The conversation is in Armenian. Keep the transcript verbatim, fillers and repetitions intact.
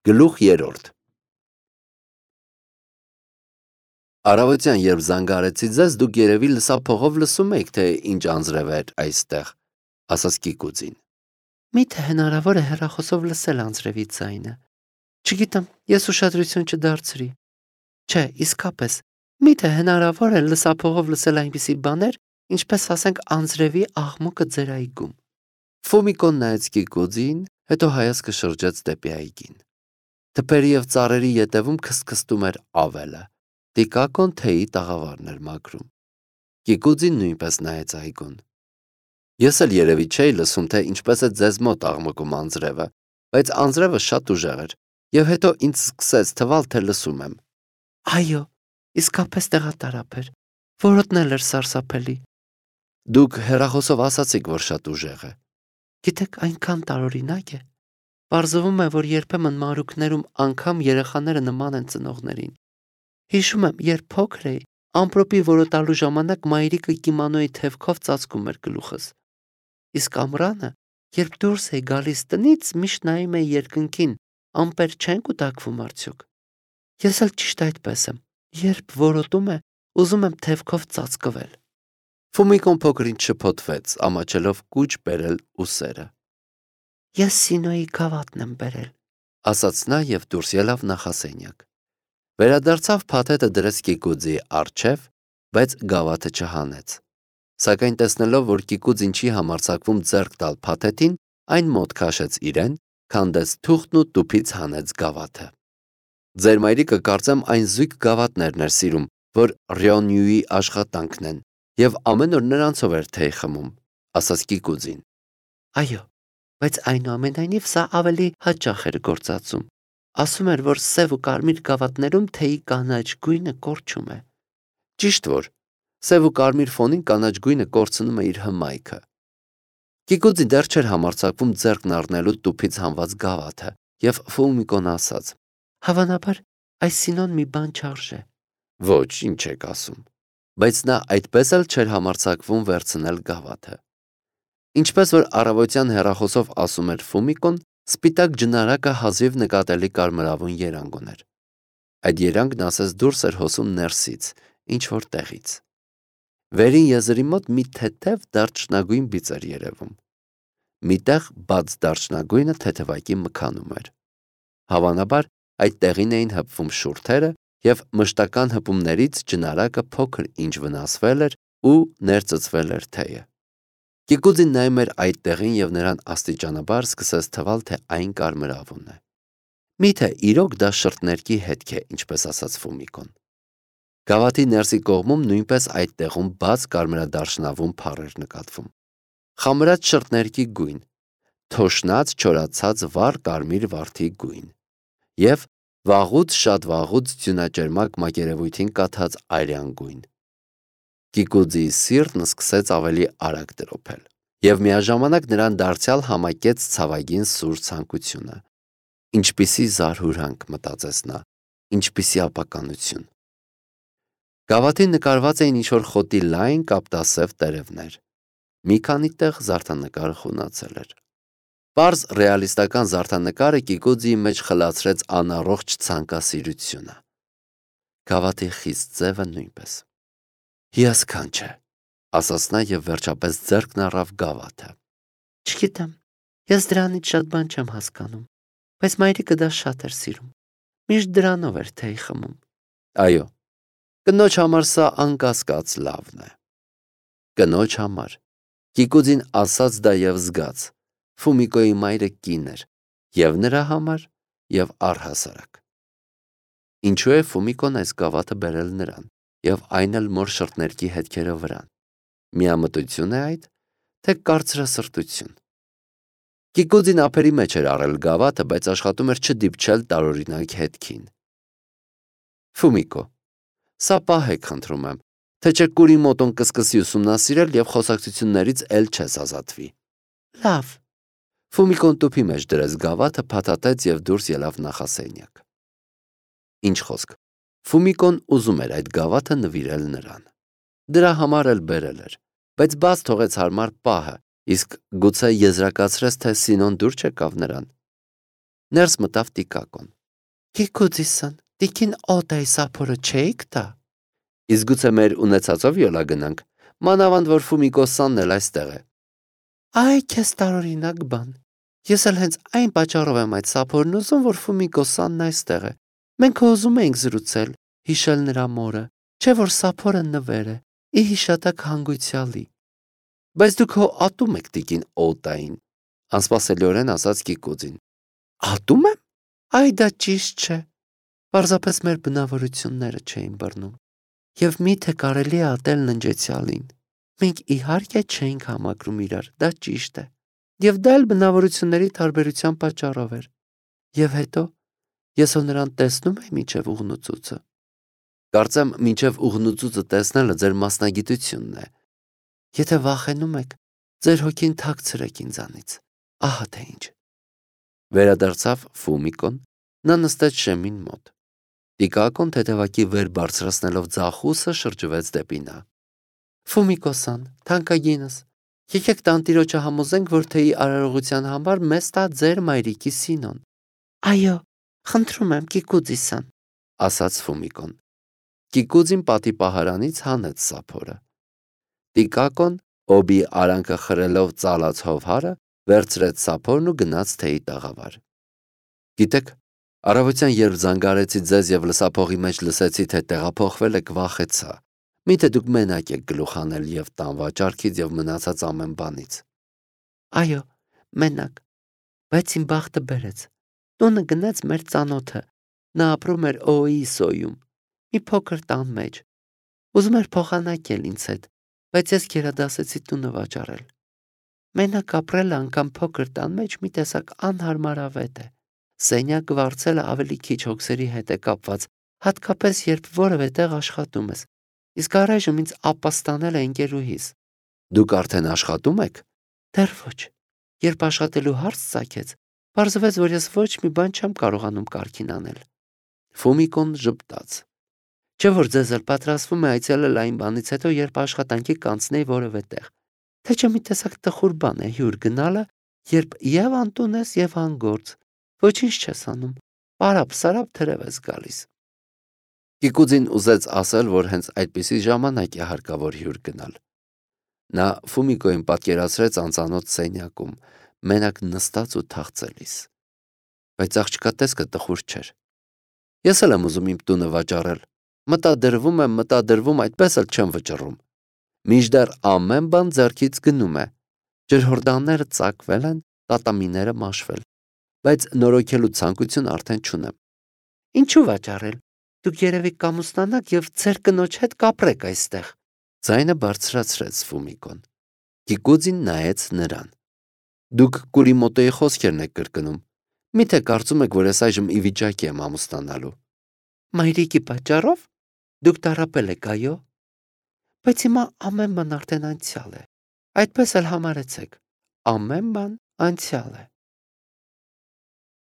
Գլուխ երրորդ Առավոտյան, երբ զանգարեցի ձեզ, դուք երևի լսափողով լսում եք, թե ինչ անձրև էր այստեղ, ասաց Կիկուձին։ Մի՞թե հնարավոր է հեռախոսով լսել անձրևի ձայնը։ Չգիտեմ, ես ուշադրություն չդարձրի։ Չէ, իսկապես, մի՞թե հնարավոր է լսափողով լսել այնպիսի բաներ, ինչպես ասենք անձրևի աղմուկը ձեր այգում։ Ֆոմիկոն նայեց Կիկուձին, հետո հայացքը շրջեց դեպի այգին։ Թփերի և ծառերի ետևում քստքստում էր ավելը։ Տիկակոն թեյի տաղավարն էր մաքրում։ Կիկուձին նույնպես նայեց այգուն։ Ես էլ երևի չէի լսում, թե ինչպես է ձեզ մոտ աղմկում անձրևը, բայց անձրևը շատ ուժեղ էր, և հետո ինձ սկսեց թվալ, թե լսում եմ։ Այո, իսկապես տեղատարափ էր, որոտն էլ էր սարսափելի։ Դուք հեռախոսով ասացիք, որ շատ ուժեղ է։ Գիտեք, այնքան տարօրինակ է։ Պարզվում է, որ երբեմն մանրուքներում անգամ երեխաները նման են ծնողներին։ Հիշում եմ, երբ փոքր էի, ամպրոպի որոտալու ժամանակ մայրիկը կիմոնոյի թևքով ծածկում էր գլուխս։ Իսկ ամռանը, երբ դուրս էի գալիս տնից, միշտ նայում էի երկնքին, ամպեր չեն կուտակվում արդյոք։ Ես էլ ճիշտ այդպես եմ, երբ որոտում է, ուզում եմ թևքով ծածկվել։ Ֆոմիկոն փոքր-ինչ շփոթվեց, ամաչելով կուչ բերել ուսերը։ Ես Սինոյի գավաթն եմ բերել, ասաց նա և դուրս ելավ նախասենյակ։ Վերադարձավ, փաթեթը դրեց Կիկուձի առջև, բայց գավաթը չհանեց։ Սակայն տեսնելով, որ Կիկուձին չի համարձակվում ձեռք տալ փաթեթին, այն մոտ քաշեց իրեն, քանդեց թուղթն ու տուփից հանեց գավաթը։ Ձեր մայրիկը կարծեմ այն զույգ գավաթներն էր սիրում, որ Ռյոնյուի աշխատանքն են, և ամեն օր նրանցով էր թեյ խմում, ասաց Կիկուձին։ Այո, բայց այնուամենայնիվ սա ավելի հաճախ էր գործածում։ Ասում էր, որ սև ու կարմիր գավաթներում թեյի կանաչ գույնը կորչում է։ Ճիշտ որ, սև ու կարմիր ֆոնին կանաչ գույնը կորցնում է իր հմայքը։ Կիկուձին դեռ չէր համարձակվում ձեռքն առնելու տուփից հանված գավաթը, և Ֆոմիկոն ասաց. Հավանաբար, այս Սինոն մի բան չարժե։ Ոչ, ինչ եք ասում։ Բայց նա այդպես էլ չէր համարձակվում վերցնել գավաթը։ Ինչպես որ առավոտյան հեռախոսով ասում էր Ֆոմիկոն, սպիտակ ջնարակը հազիվ նկատելի կարմրավուն երանգ ուներ։ Այդ երանգն ասես դուրս էր հոսում ներսից, ինչ-որ տեղից։ Վերին եզրի մոտ մի թեթև դարչնագույն բիծ էր երևում։ Միտեղ բաց դարչնագույնը թեթևակի մքանում էր։ Հավանաբար այդ տեղին էին հպվում շուրթերը, և մշտական հպումներից ջնարակը փոքր ինչ վնասվել էր ու ներծծվել էր թեյը։ Կիկուձին նայում էր այդ տեղին և նրան աստիճանաբար սկսեց թվալ, թե այն կարմրավուն է։ Միթե իրոք դա շրթներքի հետք է, ինչպես ասաց Ֆոմիկոն։ Գավաթի ներսի կողմում նույնպես այդ տեղում բաց կարմրադարչնավուն փառ էր նկատվում։ Խամրած շրթներքի գույն, թոշնած չորացած վառ կարմիր վարդի գույն և վաղուց շատ վաղուց ձյունաճերմակ մակերևույթին կաթած արյան գույն։ Կիկուձիի սիրտն սկսեց ավելի արագ տրոփել, և միաժամանակ նրան դարձյալ համակեց ցավագին սուր ցանկությունը։ Ինչպիսի զարհուրանք, մտածեց նա, ինչպիսի ապականություն։ Գավաթին նկարված էին ինչ-որ խոտի լայն կապտասև տերևներ։ Մի քանի տեղ զարդանկարը խունացել էր։ Պարզ ռեալիստական զարդանկարը Կիկուձիի մեջ խլացրեց անառողջ ցանկասիրությունը։ Գավաթի խիստ ձևը նույնպես։ Հիասքանչ է, ասաց նա և վերջապես ձեռքն առավ գավաթը։ Չգիտեմ, ես դրանից շատ բան չեմ հասկանում, բայց մայրիկը դա շատ էր սիրում։ Միշտ դրանով էր թեյ խմում։ Այո, կնոջ համար սա անկասկած լավն է։ Կնոջ համար։ Կիկուձին ասաց դա և զգաց։ Ֆոմիկոյի մայրը կին էր, և նրա համար, և առհասարակ։ Ինչու է Ֆոմիկոն այս գավաթը բերել նրան, և այն էլ մոր շրթներքի հետքերը վրան։ Միամտություն է այդ, թե կարծրասրտություն։ Կիկուձին ափերի մեջ էր առել գավաթը, բայց աշխատում էր չդիպչել տարօրինակ հետքին։ Ֆոմիկո, սա պահեք, խնդրում եմ, թե չէ կուրի մոտոն կսկսի ուսումնասիրել և խոսակցություններից էլ չես ազատվի։ Լավ։ Ֆոմիկոն տուփի մեջ դրեց գավաթը, փաթաթեց և դուրս ելավ նախասենյակ։ Ինչ խոսք, Ֆոմիկոն ուզում էր այդ գավաթը նվիրել նրան։ Դրա համար էլ բերել էր, բայց բաց թողեց հարմար պահը, իսկ գուցե եզրակացրեց, թե Սինոն դուր չեկավ նրան։ Ներս մտավ Տիկակոն։ Գիգուձիսն, տիկին օտայի սափորը չէիք տա։ Իսկ գուցե մեր ունեցածով յոլա գնանք, մանավանդ որ Ֆումիկոսանն էլ այստեղ է։ Այ քեզ տարօրինակ բան։ Ես էլ հենց այն պատճառով եմ այդ սափորն ուզում, որ Ֆումիկոսանն այստեղ է։ Մենք ուզում էինք զրուցել, հիշել նրա մորը, չէ որ սափորը նվեր է, ի հիշատակ հանգույցյալի։ Բայց դուք հո ատում եք տիկին օտային, անսպասելիորեն ասաց Գիգուձին։ Ատում եմ։ Այ դա ճիշտ չէ։ Պարզապես մեր բնավորությունները չէին բռնում։ Եվ միթե կարելի է ատել ննջեցյալին։ Մենք իհարկե չէինք համակրում իրար, դա ճիշտ է։ Եվ դա էլ բնավորությունների տարբերության պատճառով էր։ Եվ հետո ես ո նրան տեսնում եմ մինչև ուղնուծուցը։ Կարծեմ մինչև ուղնուծուցը տեսնելը ձեր մասնագիտությունն է։ Եթե վախենում եք, ձեր հոգին թաքցրեք ինձանից։ Ահա թե ինչ։ Վերադարձավ Ֆումիկոն, նա նստեց շեմին մոտ։ Տիկակոն թեթևակի վեր բարձրացնելով ձախուսը շրջվեց դեպի նա։ Ֆումիկոսան, թանկագինս, եկեք տանտիրոջը համոզենք, որ թեյի արարողության համար մեզ տա ձեր մայրիկի Սինոն։ Այո, խնդրում եմ, Գիգուձիսան, ասաց Ֆումիկոն։ Գիգուձին պատի պահարանից հանեց սափորը։ Տիկակոն, օբի արանքը խրելով ծալած հովհարը, վերցրեց սափորն ու գնաց թեյի տաղավար։ Գիտեք, առավոտյան երբ զանգարեցի ձեզ եւ լսափողի մեջ լսեցի, թե տեղափոխվել եք, վախեցա։ Միթե դուք մենակ եք գլուխ անել եւ տան վաճառքից եւ մնացած ամեն բանից։ Այո, մենակ, բայց իմ բախտը բերեց։ Տունը գնաց մեր ծանոթը։ Նա ապրում էր Օիսոյում, մի փոքր տան մեջ։ Ուզում էր փոխանակել ինձ հետ, բայց ես գերադասեցի տունը վաճառել։ Մենակ ապրելը անգամ փոքր տան մեջ մի տեսակ անհարմարավետ է։ Սենյակը վարձելը ավելի քիչ հոգսերի հետ է կապված, հատկապես երբ որևէ տեղ աշխատում ես։ Իսկ առայժմ ինձ ապաստանել է ընկերուհիս։ Դուք արդեն աշխատում եք։ Դեռ ոչ։ Երբ աշխատելու հարց ծագեց, պարզվեց, որ ես ոչ մի բան չեմ կարողանում կարգին անել։ Ֆումիկոն ժպտաց։ Չէ որ ձեզ էլ պատրաստվում է այցելել այն բանից հետո, երբ աշխատանքի կանցնեի որևէ տեղ։ Թե չէ մի տեսակ տխուր բան է հյուր գնալը, երբ եւ անտուն ես եւ անգործ։ Ոչինչ չես անում։ Պարապ-սարապ թրև ես գալիս։ Գիգուձին ուզեց ասել, որ հենց այդպիսի ժամանակ է հարկավոր հյուր գնալ։ Նա Ֆումիկոին պատկերացրեց անծանոթ սենյակում, մենակ նստած ու թախծելիս։ Բայց աղջկա տեսքը տխուր չէր։ Ես էլ եմ ուզում իմ տունը վաճառել։ Մտադրվում եմ, մտադրվում, այդպես էլ չեմ վճռում։ Մինչդեռ ամեն բան ձեռքից գնում է։ Ջրհորդանները ծակվել են, տատամիները մաշվել, բայց նորոգելու ցանկություն արդեն չունեմ։ Ինչու վաճառել։ Դուք երևի կամուսնանաք եւ ձեր կնոջ հետ կապրեք այստեղ։ Ձայնը բարձրացրեց Ֆումիկոն։ Գիգուձին նայեց նրան։ Դուք Կուրիմոտոյի խոսքերն եք կրկնում։ Միթե կարծում եք, որ ես այժմ ի վիճակի եմ ամուսնանալու։ Մայրիկի պատճառով։ Դուք տառապել եք, այո։ Բայց հիմա ամեն բան արդեն անցյալ է։ Այդպես էլ համարեցեք։ Ամեն բան անցյալ է։